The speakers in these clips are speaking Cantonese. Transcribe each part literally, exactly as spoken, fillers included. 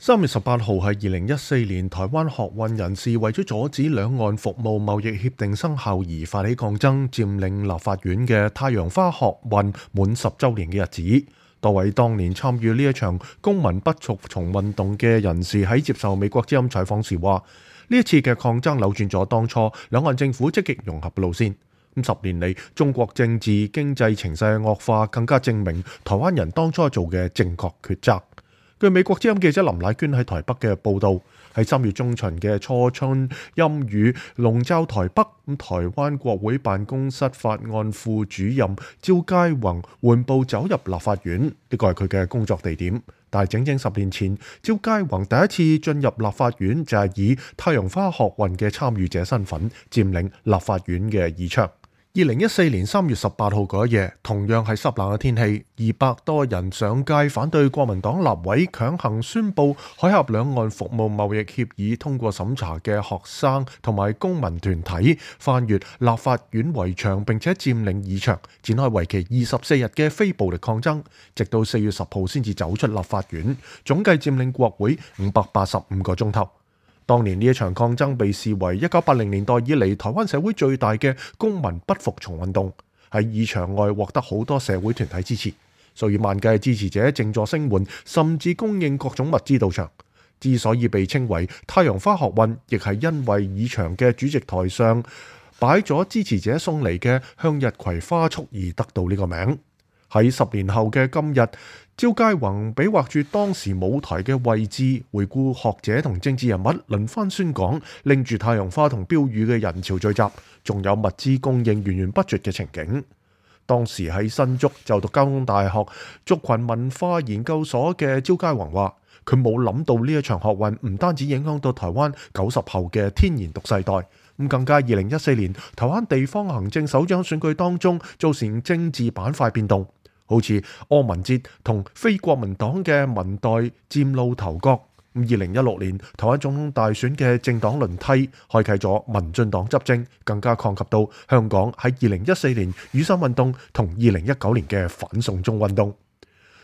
三月十八號係二零一四年，台灣學運人士為咗阻止兩岸服務貿易協定生效而發起抗爭，佔領立法院嘅太陽花學運滿十週年嘅日子。多位當年參與呢一場公民不服從運動嘅人士喺接受美國之音採訪時話：呢一次嘅抗爭扭轉咗當初兩岸政府積極融合嘅路線。咁十年嚟，中國政治經濟情勢惡化，更加證明台灣人當初做嘅正確抉擇。據美國之音記者林乃娟喺台北嘅報導，喺三月中旬嘅初春陰雨籠罩台北，咁台灣國會辦公室法案副主任趙佳宏緩步走入立法院，呢個係佢嘅工作地點。但係整整十年前，趙佳宏第一次進入立法院就係以太陽花學運嘅參與者身份佔領立法院嘅議場。二零一四年三月十八號嗰一夜，同樣係濕冷嘅天氣，二百多人上街反對國民黨立委強行宣布海峽兩岸服務貿易協議通過審查嘅學生同埋公民團體翻越立法院圍牆，並且佔領議場，展開為期二十四日嘅非暴力抗爭，直到四月十號先至走出立法院，總計佔領國會五百八十五個鐘頭。當年呢一場抗爭被視為一九八零年代以嚟台灣社會最大嘅公民不服從運動，喺議場外獲得好多社會團體支持，數以萬計支持者靜坐聲援，甚至供應各種物資到場。之所以被稱為太陽花學運，亦係因為議場嘅主席台上擺咗支持者送嚟嘅向日葵花束而得到呢個名。喺十年後嘅今日，趙佳宏比劃住當時舞台嘅位置，回顧學者同政治人物輪番宣講，拎住太陽花同標語嘅人潮聚集，仲有物資供應源源不絕嘅情景。當時喺新竹就讀交通大學族群文化研究所嘅趙佳宏話：佢冇諗到呢一場學運唔單止影響到台灣九十後嘅天然獨世代，咁更加二零一四年台灣地方行政首長選舉當中造成政治板塊變動。好似柯文哲同非國民黨嘅民代嶄露頭角。二零一六年台灣總統大選嘅政黨輪替，開啟咗民進黨執政，更加擴及到香港喺二零一四年雨傘運動同二零一九年嘅反送中運動。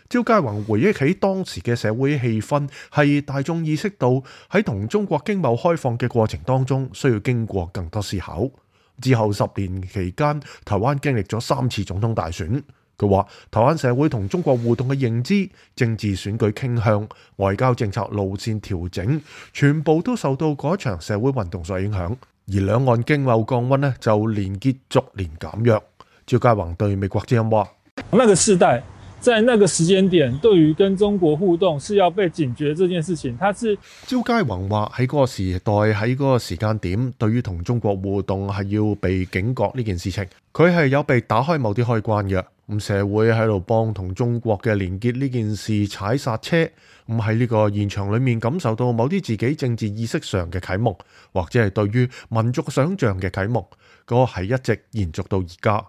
趙佳宏回憶起當時嘅社會氣氛，係大眾意識到喺同中國經貿開放嘅過程當中，需要經過更多思考。之後十年期間，台灣經歷咗三次總統大選。佢話：台灣社會同中國互動嘅認知、政治選舉傾向、外交政策路線調整，全部都受到嗰場社會運動所影響。而兩岸經貿降溫呢，就連結逐年減弱。趙佳宏對美國之音話：那個世代在那個時間點，對於跟中國互動是要被警覺這件事情，他是趙佳宏話喺嗰個時代喺嗰個時間點，對於同中國互動係要被警覺呢件事情，佢係有被打開某啲開關嘅。咁社會喺度幫同中國嘅連結呢件事踩剎車，咁喺呢個現場裏面感受到某啲自己政治意識上嘅啟蒙，或者係對於民族想像嘅啟蒙，嗰個係一直延續到而家。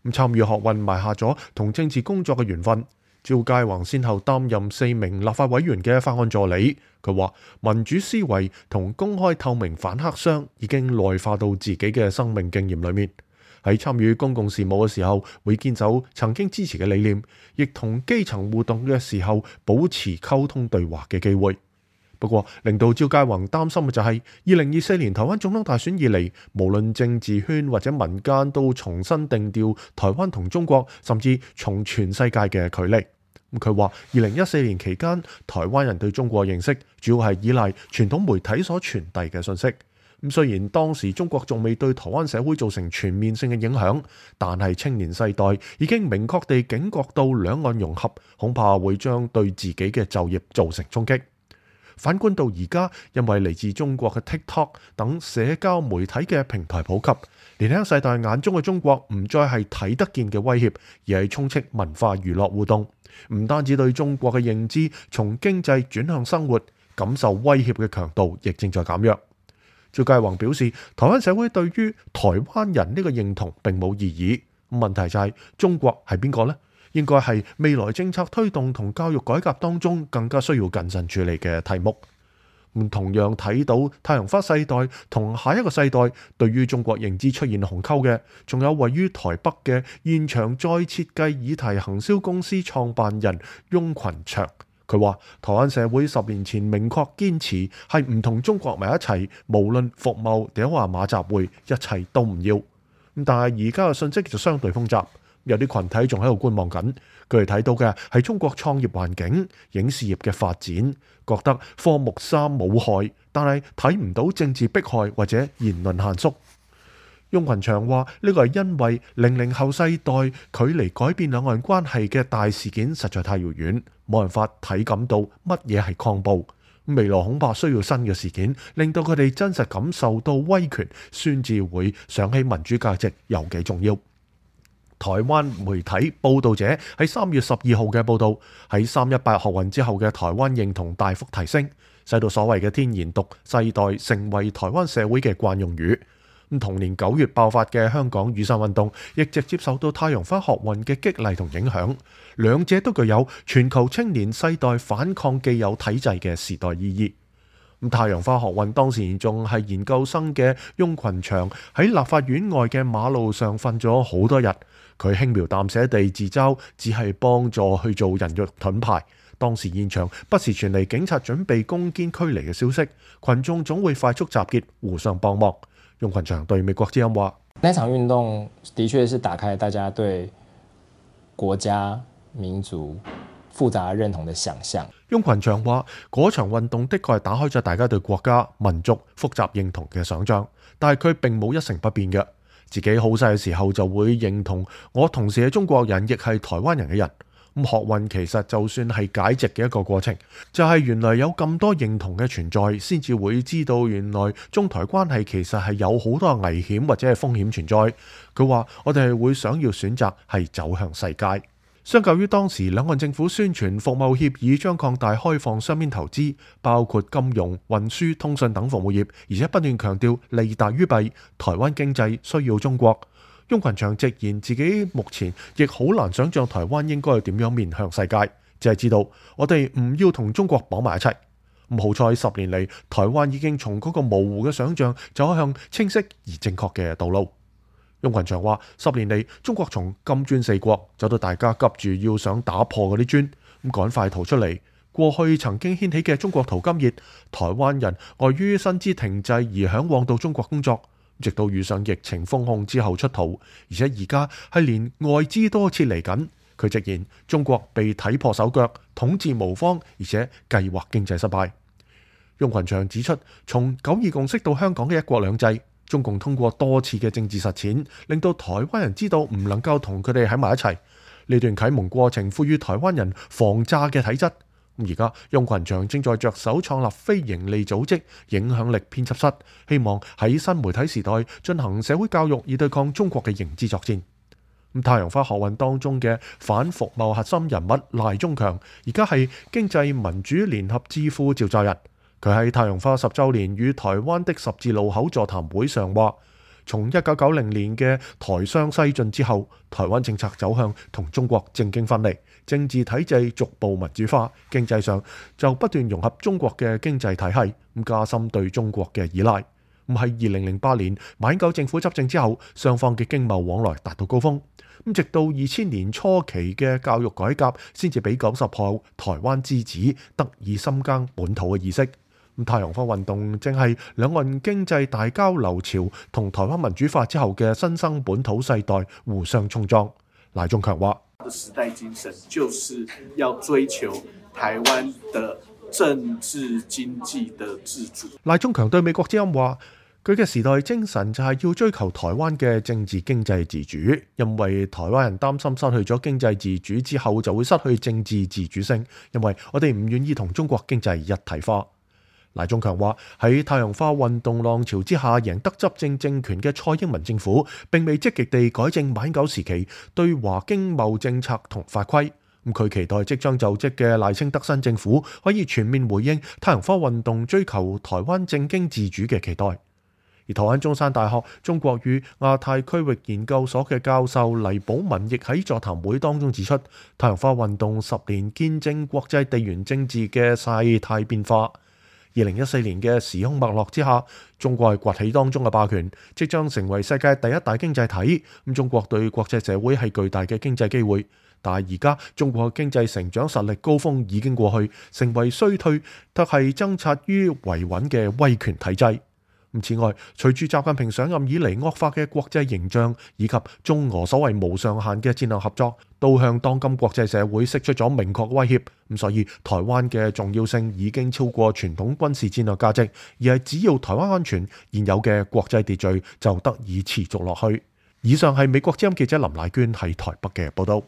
咁參與學運埋下咗同政治工作嘅緣分。趙佳宏先後擔任四名立法委員嘅法案助理。佢話民主思維同公開透明反黑箱已經內化到自己嘅生命經驗裏面。喺參與公共事務嘅時候，會堅守曾經支持嘅理念，亦同基層互動嘅時候保持溝通對話嘅機會。不過，令到趙佳宏擔心嘅就係二零二四年台灣總統大選以嚟，無論政治圈或者民間都重新定調台灣同中國，甚至從全世界嘅距離。佢話二零一四年期間，台灣人對中國認識主要係依賴傳統媒體所傳遞嘅信息。咁雖然當時中國仲未對台灣社會造成全面性嘅影響，但係青年世代已經明確地警覺到兩岸融合恐怕會將對自己嘅就業造成衝擊。反觀到而家，因為嚟自中國嘅 TikTok 等社交媒體嘅平台普及，年輕世代眼中嘅中國唔再係睇得見嘅威脅，而係充斥文化娛樂互動。唔單止對中國嘅認知從經濟轉向生活，感受威脅嘅強度亦正在減弱。趙佳宏表示，台灣社會對於台灣人呢個認同並冇異議，問題就係中國係邊個呢？應該係未來政策推動同教育改革當中更加需要謹慎處理嘅題目。同樣睇到太陽花世代同下一個世代對於中國認知出現鴻溝嘅，仲有位於台北嘅現場再設計議題行銷公司創辦人翁群祥。佢話台灣社會十年前明確堅持係唔同中國埋一齊，無論服貿定話馬習會，一切都唔要。但係而家嘅信息就相對複雜，有啲群體仲喺度觀望緊，佢哋睇到嘅係中國創業環境、影視業嘅發展，覺得科目三冇害，但係睇唔到政治迫害或者言論限縮。翁群祥話：呢個係因為零零後世代距離改變兩岸關係嘅大事件實在太遙遠，冇辦法體感到乜嘢係抗暴。未來恐怕需要新嘅事件，令到佢哋真實感受到威權，先至會想起民主價值有幾重要。台灣媒體報導者喺三月十二號嘅報導，喺三一八學運之後嘅台灣認同大幅提升，使到所謂嘅天然獨世代成為台灣社會嘅慣用語。咁同年九月爆發嘅香港雨傘運動，亦直接受到太陽花學運嘅激勵同影響，兩者都具有全球青年世代反抗既有體制嘅時代意義。咁太陽花學運當時仲係研究生嘅翁群祥喺立法院外嘅馬路上瞓咗好多日，佢輕描淡寫地自嘲只係幫助去做人肉盾牌。當時現場不時傳嚟警察準備攻堅驅離嘅消息，群眾總會快速集結，互相幫忙。翁群祥對美國之音話：那場運動的確是打開大家對國家民族複雜認同的想象。翁群祥話：嗰場運動的確係打開咗大家對國家民族複雜認同嘅想象，但係佢並冇一成不變嘅。自己好細嘅時候就會認同我同時係中國人，亦係台灣人嘅人。咁學運其實就算係解殖嘅一個過程，就係原來有咁多認同嘅存在，先至會知道原來中台關係其實係有好多危險或者係風險存在。佢話我哋係會想要選擇係走向世界。相較於當時兩岸政府宣傳服務協議將擴大開放雙邊投資，包括金融、運輸、通訊等服務業，而且不斷強調利大於弊，台灣經濟需要中國。翁群祥直言自己目前亦好難想像台灣應該係點樣面向世界，只係知道我哋唔要同中國綁埋一齊。咁好彩十年嚟，台灣已經從嗰個模糊嘅想像走向清晰而正確嘅道路。翁群祥話：十年嚟，中國從金磚四國走到大家急住要想打破嗰啲磚，咁趕快逃出嚟。過去曾經掀起嘅中國淘金熱，台灣人礙於薪資停滯而嚮往到中國工作。直到遇上疫情封控之後出逃，而且而家係連外資都撤離緊。佢直言中國被睇破手腳，統治無方，而且計劃經濟失敗。翁群祥指出，從九二共識到香港嘅一國兩制，中共通過多次嘅政治實踐，令到台灣人知道唔能夠同佢哋喺埋一齊。呢段啟蒙過程賦予台灣人防詐嘅體質。而家翁群祥正在着手創立非營利組織影響力編輯室，希望喺新媒體時代進行社會教育，以對抗中國嘅認知作戰。太陽花學運當中嘅反服貿核心人物賴中強，而家係經濟民主聯合智庫召集人。佢喺太陽花十週年與台灣的十字路口座談會上話，從一九九零年嘅台商西進之後，台灣政策走向同中國政經分離，政治體制逐步民主化，經濟上就不斷融合中國嘅經濟體系，咁加深對中國嘅依賴。咁喺二零零八年馬英九政府執政之後，雙方嘅經貿往來達到高峰。咁直到二千年初期嘅教育改革，先至俾九十後台灣之子得以深耕本土嘅意識。太陽花運動正係兩岸經濟大交流潮同台灣民主化之後嘅新生本土世代互相衝撞。賴中強話：時代精神就是要追求台灣的政治經濟的自主。賴中強對美國之音話：佢嘅時代精神就係要追求台灣嘅政治經濟自主，因為台灣人擔心失去咗經濟自主之後就會失去政治自主性，因為我哋唔願意同中國經濟一體化。賴中強話：喺太陽花運動浪潮之下贏得執政政權嘅蔡英文政府，並未積極地改正馬英九時期對華經貿政策同法規。咁佢期待即將就職嘅賴清德新政府可以全面回應太陽花運動追求台灣政經自主嘅期待。而台灣中山大學中國與亞太區域研究所嘅教授黎寶文亦喺座談會當中指出，太陽花運動十年見證國際地緣政治嘅世態變化。二零一四年嘅時空脈絡之下，中國係崛起當中嘅霸權，即將成為世界第一大經濟體。咁中國對國際社會係巨大嘅經濟機會，但係而家中國經濟成長實力高峰已經過去，成為衰退，卻係掙扎於維穩嘅威權體制。此外，隨住習近平上任以嚟惡化嘅國際形象，以及中俄所謂無上限嘅戰略合作，都向當今國際社會釋出咗明確威脅。咁所以台灣嘅重要性已經超過傳統軍事戰略價值，而係只要台灣安全，現有嘅國際秩序就得以持續落去。以上係美國之音記者林乃娟喺台北嘅報道。